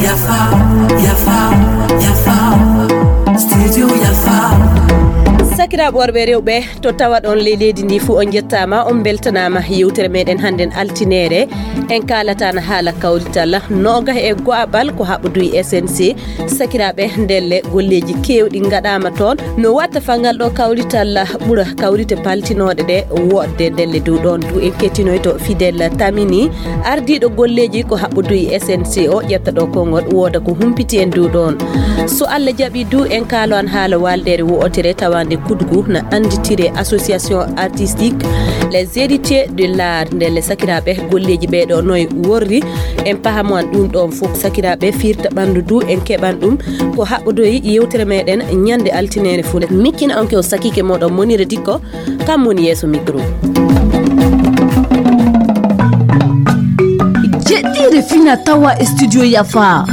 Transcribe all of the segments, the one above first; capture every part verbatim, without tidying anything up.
Yafa, yafa, yafa. Studio Yafa. Sakiraaɓe worɓe e rewɓe, to tawaɗon ley leydi ndi fuu, on njettaama, on mbeltanaama. Yewtere meɗen hannden altineere, en kaalata na haala kawrital noogas e go'aɓal ko haɓɓodoyi S N C. Sakiraaɓe, ndelle golleeji keewɗi ngaɗaama toon. No watta fa ngal ɗo kawrital ɓura kawrite paltinooɗe ɗe woɗde. Ndelle dow ɗoon du en kettinoyto Fidel Tamini, ardiiɗo golleeji ko haɓɓodoyi S N C o, ƴetta ɗo konngol, wooda ko humpiti en dow ɗoon. So Allah jaɓi du, en kaalo an haala waaldeere wo'otere tawaande Kudugu na annditire Association Artistique Les Héritiers de l'Art. Ndelle sakiraaɓe, golleeji ɓee ɗo noy worri, en pahamu an ɗum ɗoon fof. Sakiraaɓe, firta ɓanndu du, en keɓan ɗum ko haɓɓodoyi yewtere meɗen ñande altineere fuu. Miccina on ke o sakiike mooɗon Monire Dikko, kam woni yeeso micro. Jeɗɗiire fina tawa e studio Yafa.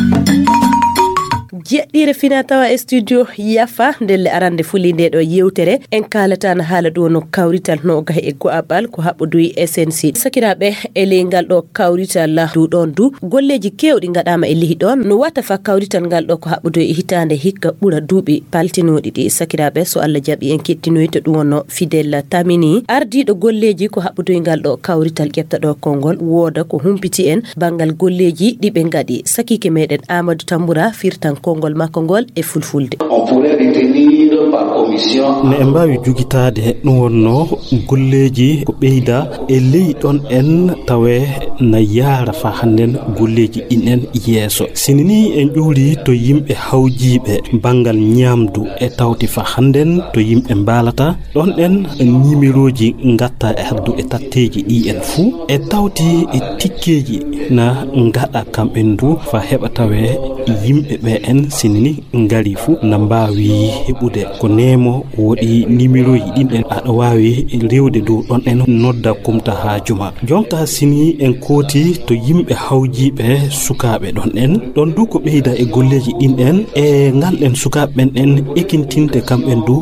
Jeɗɗiire fina tawa e studio Yafa, ndelle arande fuli nde ɗo yewtere. En kaalata na haala ɗo no kawrital noogas e go'aɓal ko haɓɓodoyi S N C. Sakiraaɓe, e ley ngal ɗo kawrital du ɗoon du, golleeji keewɗi ngaɗaama e ley ɗoon. No wata fa kawrital ngal ɗo ko haɓɓodoyi e hitaande hikka ɓura duuɓi paltinooɗi ɗi. Sakiraaɓe, so Allah jaɓi, en kettinoyto ɗum wonno Fidel Tamini, ardiiɗo golleeji ko haɓɓodoyi ngal ɗo kawrital, ƴetta ɗo konngol, wooda ko humpiti en banngal golleeji ɗi ɓe ngaɗi. Sakiike meɗen Amadou Tamboura firtan konngol makko ngol e fulfulde. On pourrait retenir par commission. Ne en mbaawi jogitaade ɗum wonno golleeji ko ɓeyda e ley ɗon en tawe na yaara fa hannden golleeji ɗin en yeeso. Sini ni en ƴuuri to yimɓe hawjiiɓe banngal ñaamdu e tawti fa hannden to yimɓe mbaalata, ɗon en nimerooji ngatta e haddu e tatteeji ɗi en fuu. E tawti e tikkeeji na ngaɗa kamɓen du fa heɓa tawe yimɓe ɓe en sini ni ngari fuu na mbaawi heɓude ko neemo woɗi nimerooji ɗin en aɗa waawi rewde dow ɗon en nodda kumta haa juma. Jonka sini en kooti to yimɓe hawjiiɓe sukaaɓe ɗon en. Ɗon du ko ɓeyda e golleeji ɗin en e ngal ɗen sukaaɓe ɓen en ekintinde kamɓen du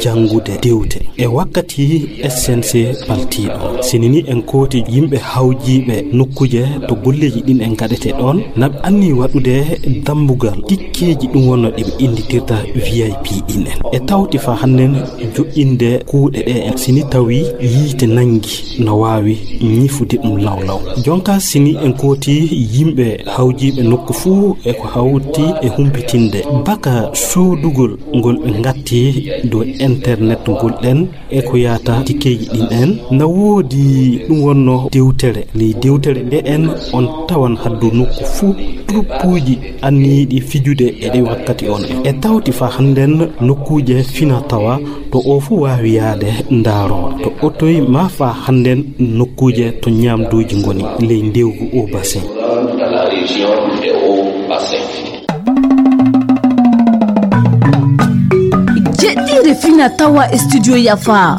janngude dewte. E wakkati S N C paltiiɗo. Sini ni en kooti yimɓe hawjiiɓe nokkuuje to golleeji ɗin en ngaɗete ɗon. Na ɓe anni waɗude dambugal tikkeeji ɗum wonno ɗi ɓe innditirta V I P ɗin en. E tawti fa hannden joƴƴinde kuuɗe ɗe en. Sini tawi yiite nanngi no waawi ñifude ɗum lawlaw. Jonka sini en kooti yimɓe hawjiiɓe nokku fuu e ko hawti e humpitinde. Baka soodugol ngol ɓe ngatti dow internet ngol ɗen e ko yaata tikkeeji ɗin en. Na woodi ɗum wonno dewtere. Ley dewtere nde en on tawan haddu nokku fuu turuppuuji anniyiɗi fijude e ɗi wakkati on en. E tawti fa hannden nokkuuje fina tawa to o fuu waawi yaade ndaaroo. To otoy ma fa hannden nokkuuje to ñaamduuji ngoni ley ndewgu o bassin. Dans la région des hauts bassins. Jeɗɗiire fina tawa e studio Yafa.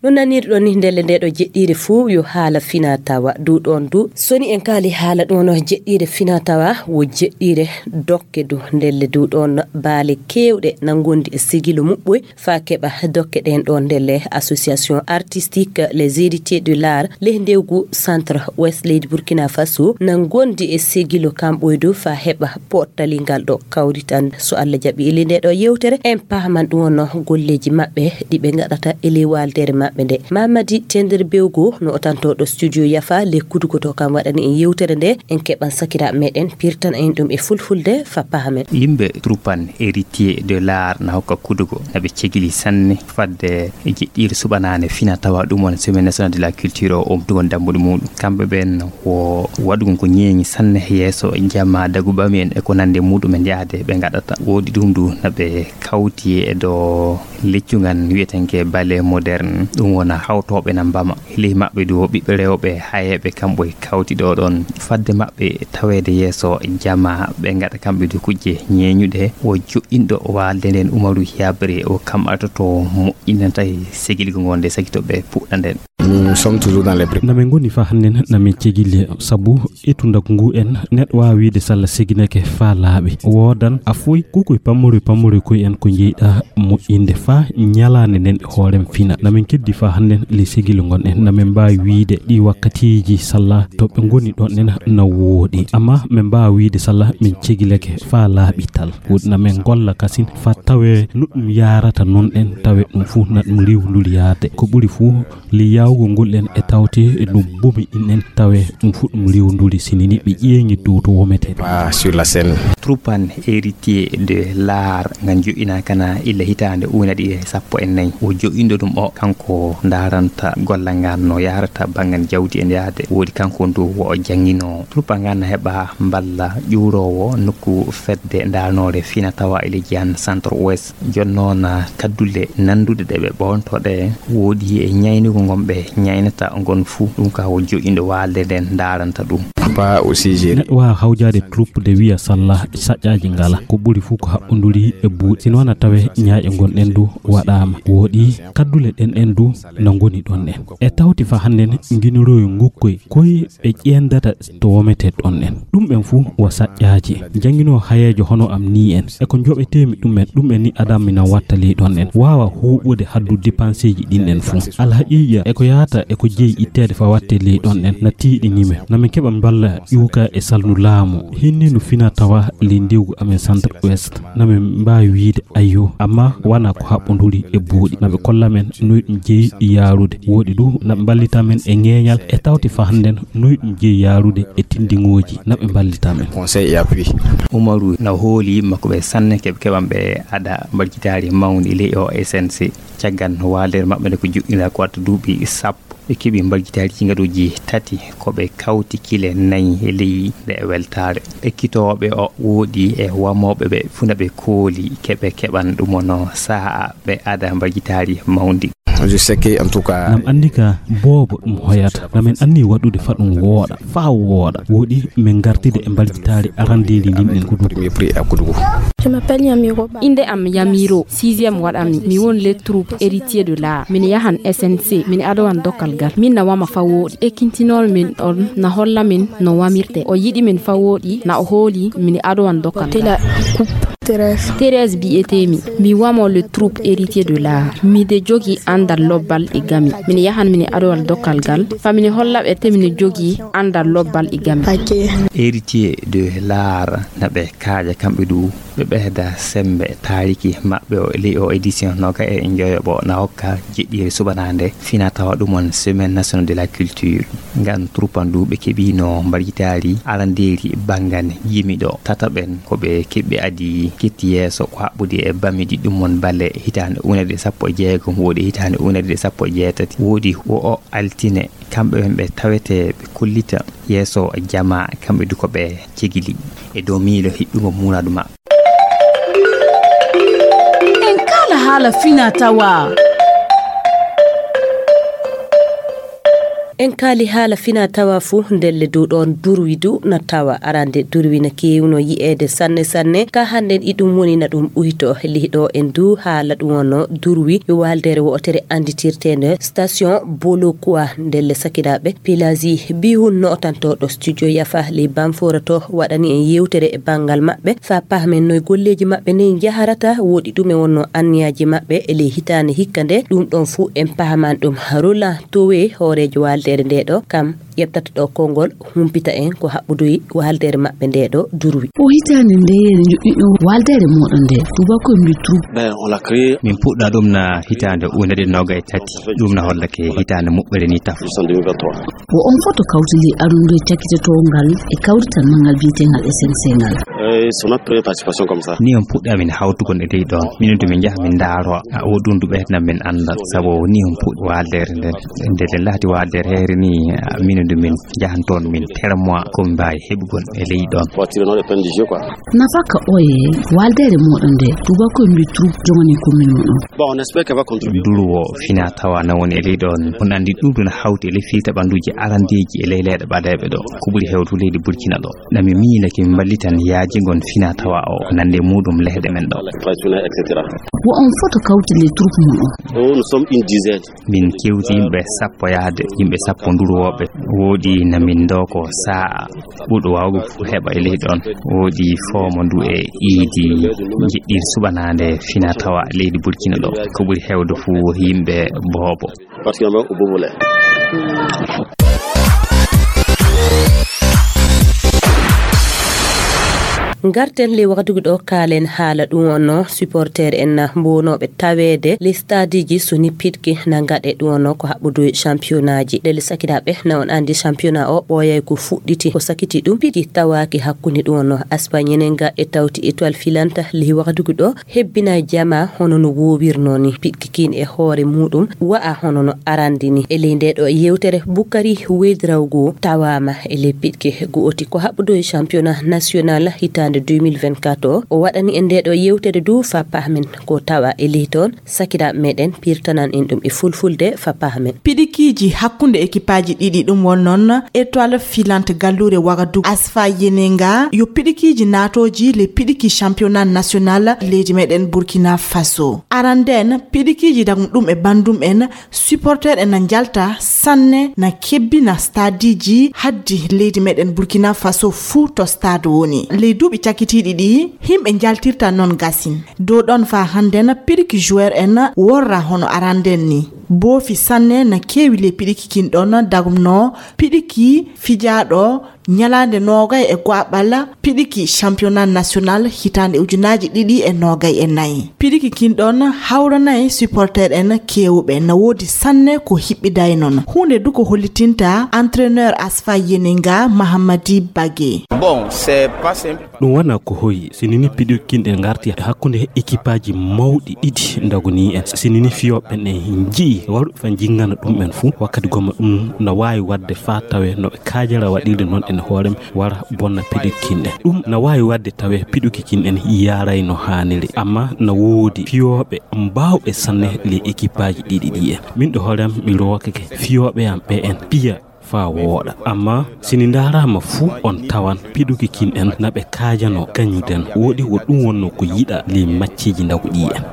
No nanirɗon ni ndelle nde ɗo jeɗɗiire fuu yo haala fina tawa du ɗoon du. Soni en kaali haala ɗoon jeɗɗiire fina tawa wo jeɗɗiire dokke du ndelle du ɗoon baale keewɗe na ngondi e sigilo muɓɓoy fa keɓa dokke ɗen ɗo ndelle association artistique Les Héritiers de l'Art ley ndewgu centre ouest leydi Burkina Faso na ngondi e segilo kamɓoydu fa heɓa pottali ngal ɗo kawrital. So Allah jaɓi e ley nde ɗo yewtere en pahaman ɗum wonno golleeji maɓɓe ɗi ɓe ngaɗata e ley waldere maɓɓe nde. Mamadi Tender Bewgo no o tantoɗo studio Yafa ley kudugoto kam waɗani en yewtere nde en keɓan sakiraaɓe meɗen pirtan en ɗum e fulfulde fa pahamen. Yimɓe Troupan Héritier de l'Art na hokka kudugo na ɓe cegili sanne fadde jeɗɗiire suɓanaande fina tawa ɗum woni Semaine Nationale de la Culture o omtugol dambuɗe muɗum. Kamɓe ɓen wo waɗugol ko ñeeŋi sanne yeeso jama dagu ɓami en e ko nande muɗum en yahde ɓe ngaɗata. Woodi ɗum du na ɓe kawti e do leccugal wiyetenke Ballet Moderne, ɗum wona hawtooɓe na mbama. Ley maɓɓe du wo ɓiɓɓe rewɓe hayeeɓe kamɓe kawti ɗo ɗon. Fadde maɓɓe taweede yeeso jama ɓe ngaɗa kamɓe du kujje ñeeñuɗe. Wo joɗɗinɗo waalde nden Umaru Yabre o kam atoto moƴƴinanta e segilgo ngo nde sakito ɓe puɗɗa nden. Nous sommes toujours dans les pré- Na min ngoni faa hannden na min cegile, sabu etundagu ngu en, neɗɗo waawa wiyde salla seginake faa laaɓi. Woodan a foy, ko koye pammoroy pammoroy koye en ko njeyɗaa moƴƴinde faa ñalaande nden e hoorem fina. Na min keddi faa hannden le segile ngon en, na min mbaawi wiyde ɗi wakkatiiji salla to ɓe ngoni ɗon en na wooɗi. Amma min mbaawa wiyde salla min cegilake faa laaɓi tal. Wooɗi na min ngolla kasin faa tawe no ɗum yaarata non en, tawe ɗum fuu na ɗum riiwnduri yaade. Ko ɓuri fuu le yaawugol ngol en e tawte e no bomi in en tawe ɗum fuu ɗum riiwnduri sinini ɓe ƴeeŋi dow to womete. Pas sur la scène. Troupe an Héritier de l'Art nga joƴƴinaa kana illa hitaande ujunere ɗiɗi e sappo e nayi. O joƴƴinɗo ɗum o, kanko ndaaranta golla ngan no yaarata banngal jawdi e yaade. Wooɗi kanko ndu wo o jannginoo. Troupe an ngan na heɓa mballa ƴuuroowo nokku fedde ndaarnoore fina tawa e leydi an Centre Ouest. Jooni noon, kaddule nannduɗe ɗe ɓe ɓoontoo ɗe, wooɗi e ñaynugol ngol ɓe ñaynata ngon fuu, ɗum ka wo joƴƴinɗo waalde nden ndaaranta ɗum. Pas aussi gérer. Neɗɗo waawa hawjaade troupe de wiya salla saƴƴaaji ngala. Ko ɓuri fuu ko haɓɓonduri e buuɗi. Sino wona tawe ñaaƴe ngon en du waɗaama. Wooɗi kaddule ɗen en du na ngoni ɗon en. E tawti faa hannden nginoroyo ngukkoy koye ɓe ƴeendata to womete ɗon en. Ɗum en fuu wa saƴƴaaji. Jannginoo hayeejo hono am nii en. E ko njoɓeteemi ɗum en, ɗum en ni adam mi na watta ley ɗon en. Waawa huuɓude haddu dépenseeji ɗin en fuu. Alhaqiiqa, e ko yaata e ko jeyi itteede faa watte ley ɗon en, na tiiɗini men. Na min keɓa mballa ƴuuka e salnu laamu. Hinni no fina tawa ley ndewgu amen Centre Ouest. Na min mbaawi wiyde ayyo, amma wanaa ko haɓɓonduri e buuɗi. Na ɓe kolla men noy ɗum jeyi yaarude. Wooɗi du, na ɓe mballita men e ŋeeñal e tawti faa hannden noy ɗum jeyi yaarude e tindiŋooji. Na ɓe mballita men. Conseil et appui. Umaru na hooli makko ɓe sanne keɓ-, keɓan ɓe ada mbarjitaari mawndi ley o S N C. Caggal no waaldeere maɓɓe nde ko joƴƴinaa ko watta duuɓi sappo. Ɓe keɓi mbarjitaariiji ngaɗooji tati, ko ɓe kawti kile nayi e ley nde weltaare. Ekkitooɓe o wooɗi e wamooɓe ɓe fuu na ɓe kooli keɓe keɓan ɗum wonoo sahaa ɓe ada mbarjitaari mawndi. Je sais que, en tout cas, nam anndi ka boobo ɗum hoyata. Namin anni waɗude fa ɗum wooɗa, fa wooɗa. Wooɗi min ngartide e mbarjitaari arandeeri ndin en kudu. Premier prix à Koudougou. Je m'appelle Yamiro Ba. Innde am Yamiro, sixième waɗami. Mi won le troupe Héritier de l'Art. Min yahan S N C, min adowan dokkal gal. Min na wama fa wooɗi. Ekkintinol min on na holla min no wamirte. O yiɗi min fa wooɗi, na o hooli min adowan dokkal gal. Thérèse. Thérèse bi'etemi. Mi wamo le troupe Héritier de l'Art. Miɗo jogi andal lobbal e gami. Min yahan min adowal dokkal gal. Fa min holla ɓe te min jogi andal lobbal e gami. Héritier de l'Art na ɓe kaaja kamɓe du. Ɓe ɓeyda sembe taariki maɓɓe o ley o édition noga e njoyoɓo na hokka jeɗɗiire suɓanaande fina tawa ɗum on Semaine Nationale de la Culture. Ngan troupe an du ɓe keɓino mbarjitaari arandeeri banngan yimiɗo tataɓen ko ɓe keɓɓe adi ketti yeeso ko haɓɓude e bamiɗi ɗum on bale hitaande unere sappo e jeegom woodi hitaande unere sappo e jeetati woodi wo o altine kamɓe ɓen ɓe tawete ɓe kollita yeeso jama kamɓe du ko ɓe cegili e dow miilo hiɗɗugo muuraadu maɓɓe. En kaala haala fina tawa. En kaali haala fina tawa fuu ndelle dow ɗoon durwi du na tawa arande durwi na keewno yi'eede sanne sanne ka hannden iɗum woni na ɗum ɓuyto lihiɗo en du haala ɗum wonno durwi waaldeere wo'otere annditirteende station Bolokwa ndelle sakiraaɓe Pelasi Bihun nootantooɗo studio Yafa ley Bamfoora to waɗani en yewtere e banngal maɓɓe faa pahmen noy golleeji maɓɓe ney njaharata woɗi ɗume wonno anniyaaji maɓɓe e ley hitaande hikka nde ɗum ɗon fuu en pahaman ɗum Roland Towe hooreejo waaldeere nde ɗo kam ƴeɓtata ɗo konngol humpita en ko haɓɓudoyi waaldeere maɓɓe nde ɗo durwi. O hitaande nde ene joƴƴino waaldeere mooɗon nde tubako en mbi troupe. Min puɗɗa ɗum na hitaande ujunere ɗiɗi noga e tati. Ɗum na hollake hitaande moƴƴere ni tafo. Wo on foto kawtili arundu e cakkitotoo ngal e kawrital ma ngal biyeteengal S N C ngal. Ni on puɗɗi amin hawtugol e ley ɗon. Minen to min njaha min ndaaro a o ɗum du ɓeydan min anndal sabu ni on puɗɗi waaldeere nden. Nde ɗen lahdi waaldeere heere ni minen Ɗum min njahan toon, min termoa ko min mbaawi heɓugol e leydi ɗoon. Pour tirer notre épingle du jeu, quoi. Nafaka oye, waaldeere mooɗon nde, tuubakooɓe mbi troupe joganii commune muɗum. Bon, on espère qu'elle va contribuer. Nduru o fina tawa na woni e leydi ɗoon. On anndi ɗum ɗum hawti e ley filta ɓannduuji arandeeji e ley leyɗe ɓaleeɓe ɗo. Ko ɓuri heewde leydi Burkina ɗo. Na mi miilake mi mballitan yaajigon fina tawa o nande muɗum leyɗe men ɗo. Paysuna, et cetera. Wo on foto kawti les troupes muɗum. Oh, nous sommes une dizaine. Min kewti yimɓe sappo yahde, yimɓe sappo nduruwooɓe. Woodi na min ɗo ko sa'a ɓurɗo waawugo fof heɓa e leydi on. Woodi foomo ndu e iidi njeɗɗir suɓanaande fina tawa leydi Burkina ɗo. Ko ɓuri heewde fof yimɓe boobo. Particulièrement au Bobolais. Ngarten le wakatugu ɗo kaalen haala ɗum wonno supporter en na mbonooɓe taweede le stadiji soni piɗki na ngaɗe ɗum wonno ko haɓɓudu championnat ji. Ndele sakiraaɓe na on anndi championnat o ɓooyay ko fuɗɗiti ko sakiti ɗum piɗki tawaaki hakkunde ɗum wonno Espagne enen ga e tawti étoile filante le wakatugu ɗo hebbina jama hono no woowirnoo ni. Piɗki kin e hoore muɗum wa'a hono no arandi ni. E ley nde ɗo yewtere Bukari Wedrawgo tawaama e ley piɗki go'oti ko haɓɓudo e championnat national hitaande deux mille vingt-quatre o. O waɗani en nde ɗo yewtere du fa pahmen ko tawa e ley toon. Sakiraaɓe meɗen pirtanan en ɗum e fulfulde fa pahmen. Piɗikiiji hakkunde ekipaaji ɗiɗi ɗum won noon étoile filante galluure Wagadugu Asfa Yenenga yo piɗikiiji naatooji le piɗiki championnat national leydi meɗen Burkina Faso. Aranden piɗikiiji dagum ɗum e bandum en supporter en na njalta sanne na kebbina stadiji haddi leydi meɗen Burkina Faso fuu to stade woni. Ley duuɓi cakitiiɗi ɗi himɓe njaltirta noon gasin. Dow ɗon fa hannden piɗiki joueur en worra hono aranden ni. Boofi sanne na keewi le piɗiki kin ɗon dagum no piɗiki fijaaɗo ñalaande noogay e go'aɓal piɗiki championnat national hitaande ujunaaji ɗiɗi e noogay e nayi. Piɗiki kin ɗon hawranay supporter en keewuɓe na woodi sanne ko hiɓɓiday non. Huunde du ko hollitinta entraîneur Asfa Yenenga Mahamadi Bage. Bon, c'est pas simple. Ɗum wona ko hoyi, sinini piɗirkinɗe ngarti e hakkunde ekipaaji mawɗi ɗiɗi ndaguni en. Sinini fiyooɓe ɓen en nji'i waru fa jingana ɗum en fuu, wakkati goma ɗum na waawi waɗde fa tawe no ɓe kaajara waɗirde noon en hoorem wara bonna piɗirkinɗe. Ɗum na waawi waɗde tawe piɗukikinɗen yaaray no haaniri. Amma na woodi fiyooɓe mbaawɓe sanne le ekipaaji ɗiɗi ɗi en. Min ɗo hoorem mi rookake fiyooɓe am ɓe en piya faa wooɗa. Amma si ni ndaaraama fuu, on tawan piɗuki kin en na ɓe kaajano gañuden. Woɗi wo ɗum wonno ko yiɗa ley macceeji ndagu ɗi en.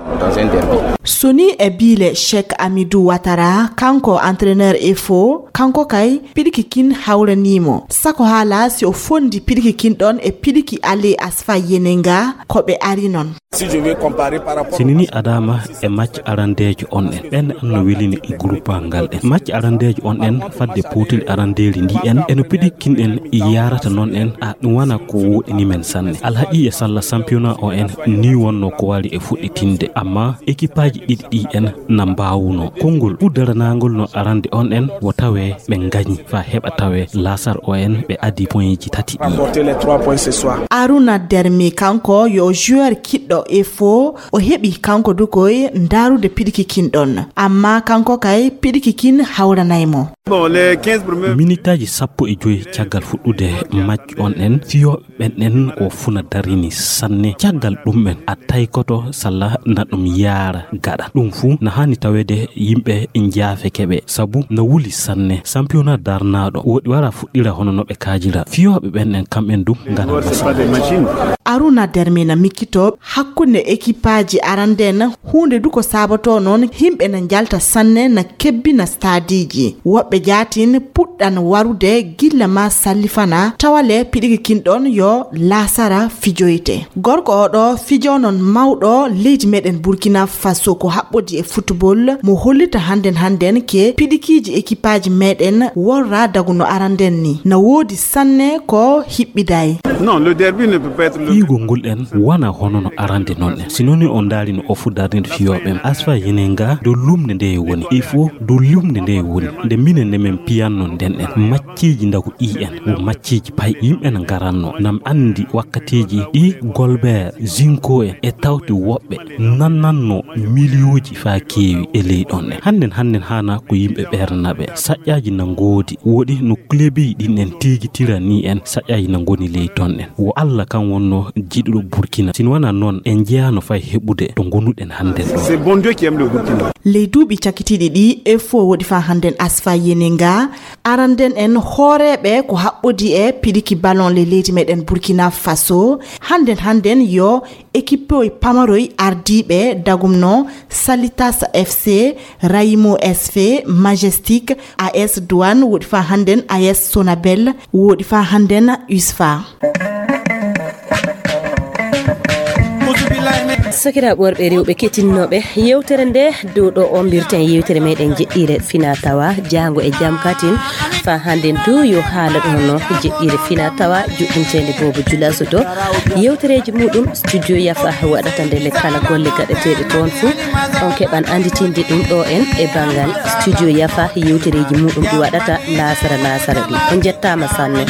Soni e biile Cheikh Amidou Ouattara, kanko entraîneur F O, kanko kay piɗuki kin hawraniimo. Sako haala si o fondi piɗuki kin ɗon e piɗuki Ali Asfa Yenenga, ko ɓe ari non. Si je vais comparer par rapport Sinini adama e match arandeejo on en. Ɓen anno welini e groupal ngal en. Match arandeejo on en fadde potiri arandeeri ndi en. Eno piɗikin en yarata non en. A ɗum wana ko woɗini men sanne. Alhaji e salla championnat o en ni wonno ko wari e fuɗɗitinde. Amma ekipaaji ɗiɗi ɗi en na mbaawuno. Konngol ɓurdaranangol no arande on en wo tawe ɓe ngañi fa heɓa tawe lasar o en ɓe adi pointji tati ɗi. Remporter les trois points ce soir. Aruna Dermi kanko yo joueur kiɗɗo e fo o heɓi kanko du koy ndarude piɗiki kin ɗon. Amma kanko kay piɗiki kin hawranay mo. Bon, les quinze premiers. Minitaaji sappo e joy caggal fuɗɗude match on en fiyooɓe ɓen en o funa darini sanne. Caggal ɗum en a taykoto salla na ɗum yaara gaɗa. Ɗum fuu na hani tawede yimɓe njaafeke ɓe sabu na wuli sanne. Championnat darnaaɗo woɗi wara fuɗɗira hono no ɓe kaajira. Fiyooɓe ɓen en kamɓen du ngana machine. Aruna Dermina mikkito hakkunde ekipaaji aranden huunde du ko saboto noon himɓe na njalta sanne na kebbina stadiiji. Woɓɓe jaatin puɗɗan warude gilla ma sallifana tawale piɗiki kin ɗon yo laasara fijoyte. Gorko oɗo fijo noon mawɗo leydi meɗen Burkina Faso ko haɓɓodi e football mo hollita hannden hannden ke piɗikiiji ekipaaji meɗen worra dagu no aranden ni. Na woodi sanne ko hiɓɓiday. Non, le derby ne peut pas être le Piyugol ngol en wona hono no arande non en. Si non ni on ndaari no o fu darnde fiyooɓe en. Asfa Yenenga do lumnde nde woni. Il faut do lumnde nde woni. Nde minen nde min piyanno nden en. Macceeji ndagu i en. Wo macceeji pay yimɓe na ngaranno. Nam anndi wakkatiiji ɗi Golbert Zinko en e tawti woɓɓe nannanno miliyooji faa keewi e ley ɗon en. Hannden, hannden haana ko yimɓe ɓernaɓe. Saƴƴaaji na ngoodi. Woɗi no klebi ɗin en tiigitira ni en saƴƴaaji na ngoni ley ton en. Wo Alla kan wonno jiɗuɗo Burkina. Si wona non, en jeyaano fay heɓude to ngonuɗen hannden ɗo. C'est bon Dieu qui aime le Burkina. Ley duuɓi cakitiiɗi ɗi, e fof woɗi faa hannden Asfa Yenenga, aranden en hooreeɓe ko haɓɓodi e piɗiki ballon ley leydi meɗen Burkina Faso. Hannden, hannden yo équipe oy pamaroy ardiiɓe dagum no Salitas F C, Raimo S F, Majestic, A S Douane, woɗi faa hannden A S Sonabel, woɗi faa hannden U S F A. Sakiraaɓe worɓe e rewɓe keɗitinooɓe yewtere nde, dow ɗo ombirten yewtere meɗen jeɗɗire fina tawa, jaango e jam katin, faa hannden du yo haala ɗum no jeɗɗire fina tawa, juɓɓinteende boobo Jula Soto. Yewtereeji muɗum Studio Yafa waɗata ndelle kala golle gaɗeteeɗe toon fuu. On keɓan annditinde ɗum ɗo en e banngal Studio Yafa yewtereeji muɗum ɗi waɗata laasara laasara ɗi. On njettaama sanne.